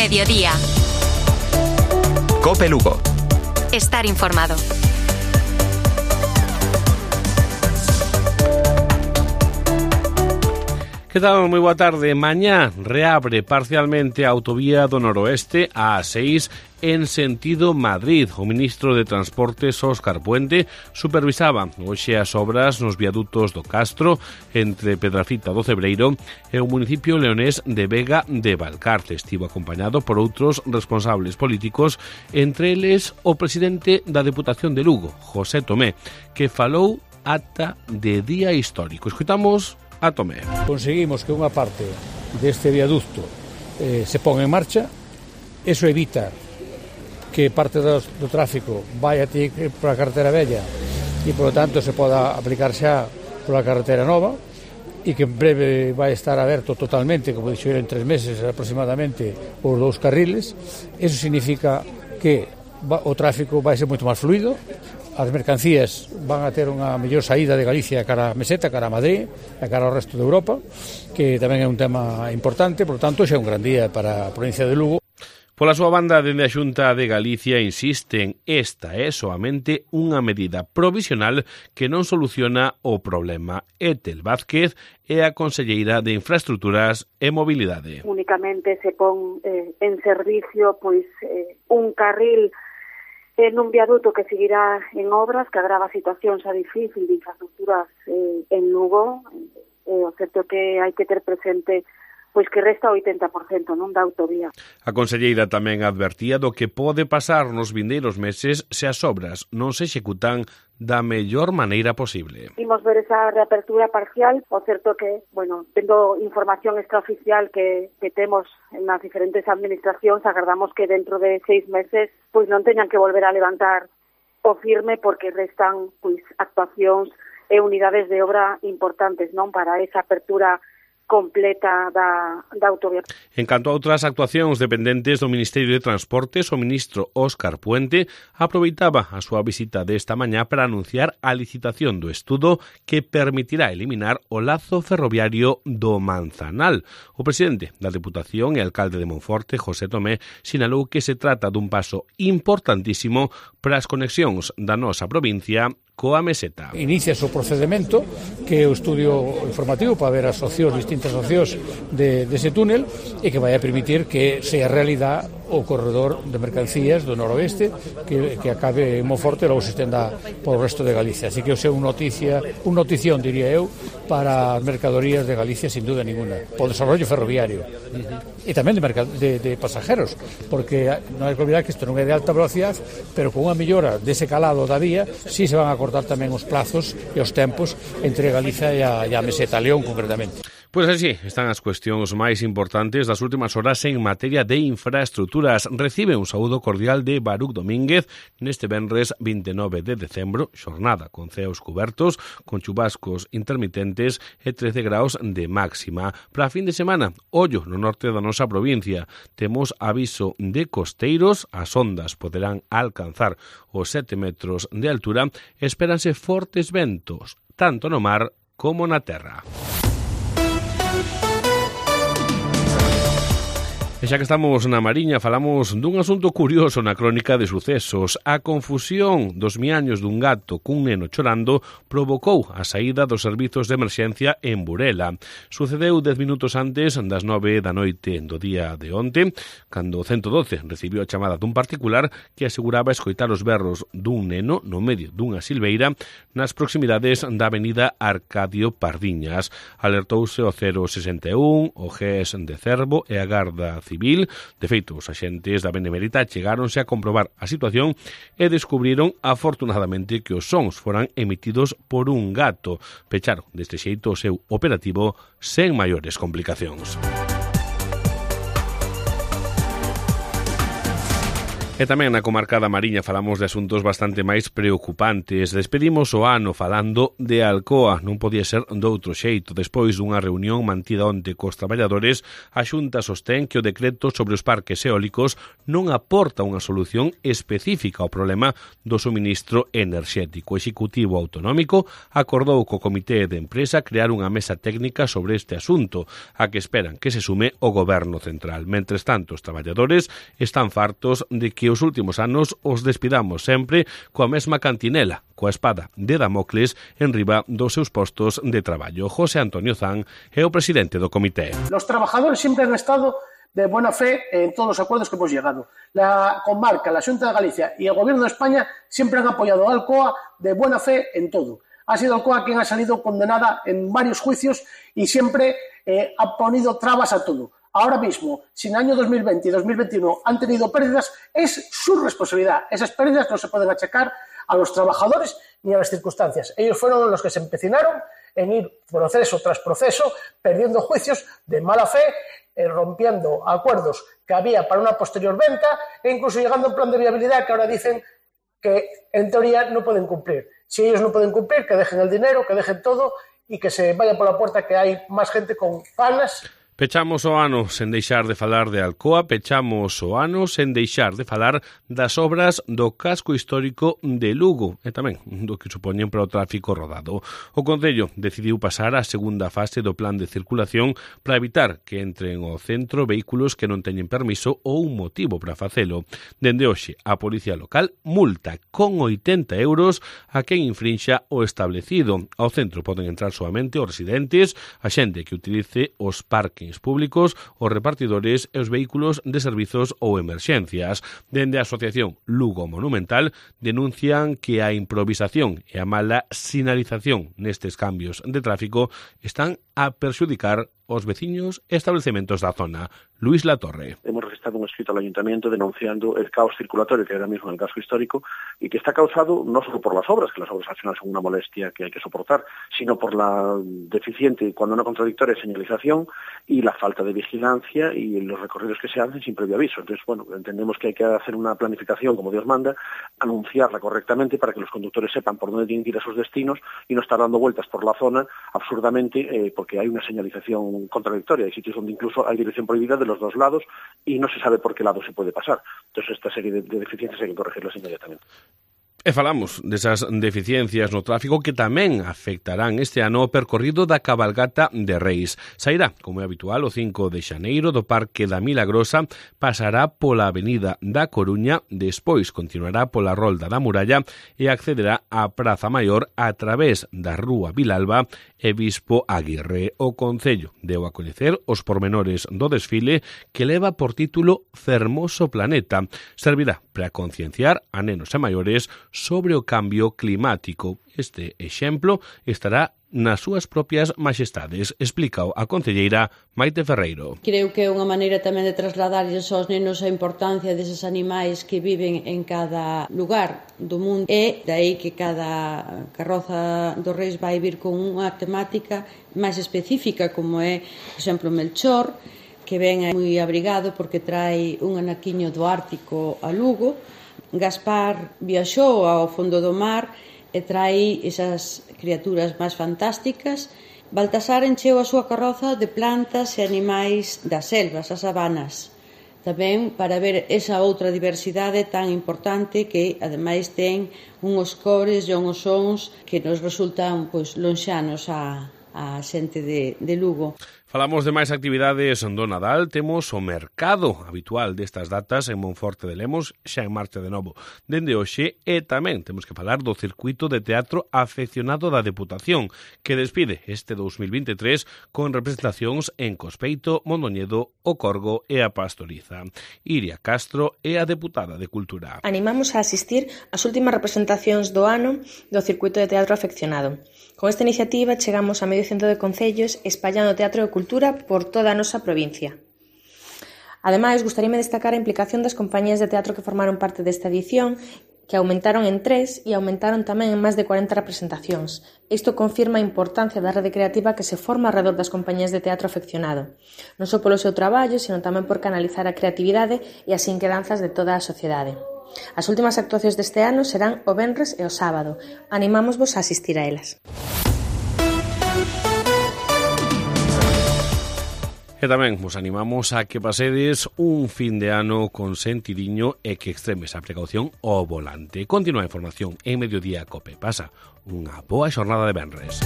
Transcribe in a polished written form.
Mediodía. COPE Lugo. Estar informado. Que tal? Moi boa tarde. Mañá reabre parcialmente a autovía do noroeste, a A6, en sentido Madrid. O ministro de Transportes, Óscar Puente, supervisaba hoxe as obras nos viadutos do Castro entre Pedrafita do Cebreiro e o municipio leonés de Vega de Valcarce. Estivo acompañado por outros responsables políticos, entre eles o presidente da Deputación de Lugo, José Tomé, que falou ata de día histórico. Escoitamos a Tomé. Conseguimos que unha parte deste viaducto se ponga en marcha. Eso evita que parte do tráfico vaya pola carretera vella e, por lo tanto, se poda aplicar xa pola carretera nova e que en breve vai estar aberto totalmente, como dixo en 3 meses aproximadamente, os 2 carriles. Eso significa que o tráfico vai ser moito máis fluido. As mercancías van a ter unha mellor saída de Galicia cara a Meseta, cara a Madrid e cara ao resto de Europa, que tamén é un tema importante. Por tanto, xa é un gran día para a provincia de Lugo. Pola súa banda, dende a Xunta de Galicia insisten, esta é soamente unha medida provisional que non soluciona o problema. Etel Vázquez é a conselleira de Infraestructuras e Mobilidade. Únicamente se pon en servicio un carril nun viaduto que seguirá en obras, que agrava situacións a difícil de infraestructuras en Lugo. O certo que hai que ter presente que resta o 80% non da autovía. A conselleira tamén advertía do que pode pasar nos vindeiros meses se as obras non se executan da mellor maneira posible. Imos ver esa reapertura parcial. O certo que, tendo información extraoficial que temos nas diferentes administracións, agardamos que dentro de 6 meses non teñan que volver a levantar o firme, porque restan actuacións e unidades de obra importantes para esa apertura completa da autovía. En canto a outras actuacións dependentes do Ministerio de Transportes, o ministro Óscar Puente aproveitaba a súa visita desta mañá para anunciar a licitación do estudo que permitirá eliminar o lazo ferroviario do Manzanal. O presidente da Deputación e alcalde de Monforte, José Tomé, sinalou que se trata dun paso importantísimo para as conexións da nosa provincia coa Meseta. Inicias o procedimento, que é o estudio informativo para ver as distintas opcións dese túnel, e que vai a permitir que sea realidad o corredor de mercancías do noroeste que acabe en Monforte e logo se estenda por o resto de Galicia. Así que é un notición, diría eu, para as mercadorías de Galicia, sin duda ninguna, por desarrollo ferroviario e tamén de pasajeros, porque non hai que olvidar que isto non é de alta velocidade, pero con unha mellora dese calado da vía si se van a cortar tamén os plazos e os tempos entre Galicia e a Meseta, León concretamente. Pois así están as cuestións máis importantes das últimas horas en materia de infraestructuras. Recibe un saúdo cordial de Baruch Domínguez neste venres 29 de decembro, xornada con ceos cubertos, con chubascos intermitentes e 13 graus de máxima. Para a fin de semana, ollo no norte da nosa provincia. Temos aviso de costeiros, as ondas poderán alcanzar os 7 metros de altura, espéranse fortes ventos, tanto no mar como na terra. E xa que estamos na Mariña, falamos dun asunto curioso na crónica de sucesos. A confusión dos miaños dun gato cun neno chorando provocou a saída dos servizos de emerxencia en Burela. Sucedeu 10 minutos antes das 9 da noite do día de onte, cando o 112 recibiu a chamada dun particular que aseguraba escoitar os berros dun neno no medio dunha silveira nas proximidades da avenida Arcadio Pardiñas. Alertouse o 061, o GES de Cervo e a Garda Civil. De feito, os axentes da Benemérita chegáronse a comprobar a situación e descubriron afortunadamente que os sons foran emitidos por un gato. Pecharon deste xeito o seu operativo sen maiores complicacións. E tamén na comarca da Mariña falamos de asuntos bastante máis preocupantes. Despedimos o ano falando de Alcoa. Non podía ser doutro xeito. Despois dunha reunión mantida onte cos traballadores, a Xunta sostén que o decreto sobre os parques eólicos non aporta unha solución específica ao problema do suministro enerxético. O Executivo Autonómico acordou co Comité de Empresa crear unha mesa técnica sobre este asunto, a que esperan que se sume o Goberno Central. Mentres tanto, os traballadores están fartos de que os últimos anos os despidamos sempre coa mesma cantinela, coa espada de Damocles en riba dos seus postos de traballo. José Antonio Zan é o presidente do comité. Los trabajadores sempre han estado de buena fe en todos los acuerdos que hemos llegado. La comarca, la Xunta de Galicia y el Gobierno de España siempre han apoyado a Alcoa de buena fe en todo. Ha sido Alcoa quien ha salido condenada en varios juicios y siempre ha ponido trabas a todo. Ahora mismo, si en el año 2020 y 2021 han tenido pérdidas, es su responsabilidad. Esas pérdidas no se pueden achacar a los trabajadores ni a las circunstancias. Ellos fueron los que se empecinaron en ir proceso tras proceso, perdiendo juicios de mala fe, rompiendo acuerdos que había para una posterior venta e incluso llegando a un plan de viabilidad que ahora dicen que en teoría no pueden cumplir. Si ellos no pueden cumplir, que dejen el dinero, que dejen todo y que se vaya por la puerta, que hay más gente con ganas. Pechamos o ano sen deixar de falar de Alcoa, pechamos o ano sen deixar de falar das obras do casco histórico de Lugo e tamén do que supoñen para o tráfico rodado. O Concello decidiu pasar á segunda fase do plan de circulación para evitar que entren ao centro vehículos que non teñen permiso ou un motivo para facelo. Dende hoxe, a Policía Local multa con 80 euros a quen infrinxa o establecido. Ao centro poden entrar solamente os residentes, a xente que utilice os parques públicos, os repartidores e os vehículos de servizos ou emerxencias. Dende a Asociación Lugo Monumental denuncian que a improvisación e a mala sinalización nestes cambios de tráfico están a perxudicar os veciños e establecementos da zona. Luis Latorre. Hemos registrado un escrito al Ayuntamiento denunciando el caos circulatorio que hay ahora mismo en el casco histórico y que está causado no solo por las obras, que las obras al final son una molestia que hay que soportar, sino por la deficiente, cuando no contradictoria, señalización y la falta de vigilancia y los recorridos que se hacen sin previo aviso. Entonces, bueno, entendemos que hay que hacer una planificación como Dios manda, anunciarla correctamente para que los conductores sepan por dónde tienen que ir a sus destinos y no estar dando vueltas por la zona absurdamente porque hay una señalización contradictoria. Hay sitios donde incluso hay dirección prohibida de los dos lados y no se sabe por qué lado se puede pasar. Entonces esta serie de deficiencias hay que corregirlas inmediatamente. E falamos desas deficiencias no tráfico que tamén afectarán este ano o percorrido da cabalgata de Reis. Sairá, como é habitual, o 5 de xaneiro do Parque da Milagrosa, pasará pola Avenida da Coruña, despois continuará pola Rolda da Muralla e accederá á Praza Maior a través da Rúa Vilalba e Bispo Aguirre. O Concello deu a coñecer os pormenores do desfile que leva por título Fermoso Planeta. Servirá para concienciar a nenos e maiores sobre o cambio climático. Este exemplo estará nas súas propias majestades, explica a concelleira Maite Ferreiro. Creo que é unha maneira tamén de trasladarlles aos nenos a importancia deses animais que viven en cada lugar do mundo e dai que cada carroza dos Reis vai vir con unha temática máis específica, como é, por exemplo, Melchor, que ven moi abrigado porque trae un anaquiño do Ártico a Lugo. Gaspar viaxou ao fondo do mar e trae esas criaturas máis fantásticas. Baltasar encheu a súa carroza de plantas e animais das selvas, as sabanas, tamén para ver esa outra diversidade tan importante que ademais ten unhos cores e unhos sons que nos resultan lonxanos a xente de Lugo. Falamos de máis actividades do Nadal. Temos o mercado habitual destas datas en Monforte de Lemos, xa en marcha de novo dende hoxe, e tamén temos que falar do circuito de teatro afeccionado da Deputación, que despide este 2023 con representacións en Cospeito, Mondoñedo, O Corgo e a Pastoriza. Iria Castro é a deputada de Cultura. Animamos a asistir ás últimas representacións do ano do circuito de teatro afeccionado. Con esta iniciativa chegamos a medio cento de concellos espallando teatro e cultura por toda a nosa provincia. Ademais, gustaríame destacar a implicación das compañías de teatro que formaron parte desta edición, que aumentaron en 3 e aumentaron tamén en máis de 40 representacións. Isto confirma a importancia da rede creativa que se forma alrededor das compañías de teatro afeccionado, non só polo seu traballo, sino tamén por canalizar a creatividade e as inquedanzas de toda a sociedade. As últimas actuacións deste ano serán o venres e o sábado. Animámosvos a asistir a elas. E tamén vos animamos a que pasedes un fin de ano con sentidiño e que extremes a precaución ao volante. Continúa a información en Mediodía Cope. Pasa unha boa xornada de venres.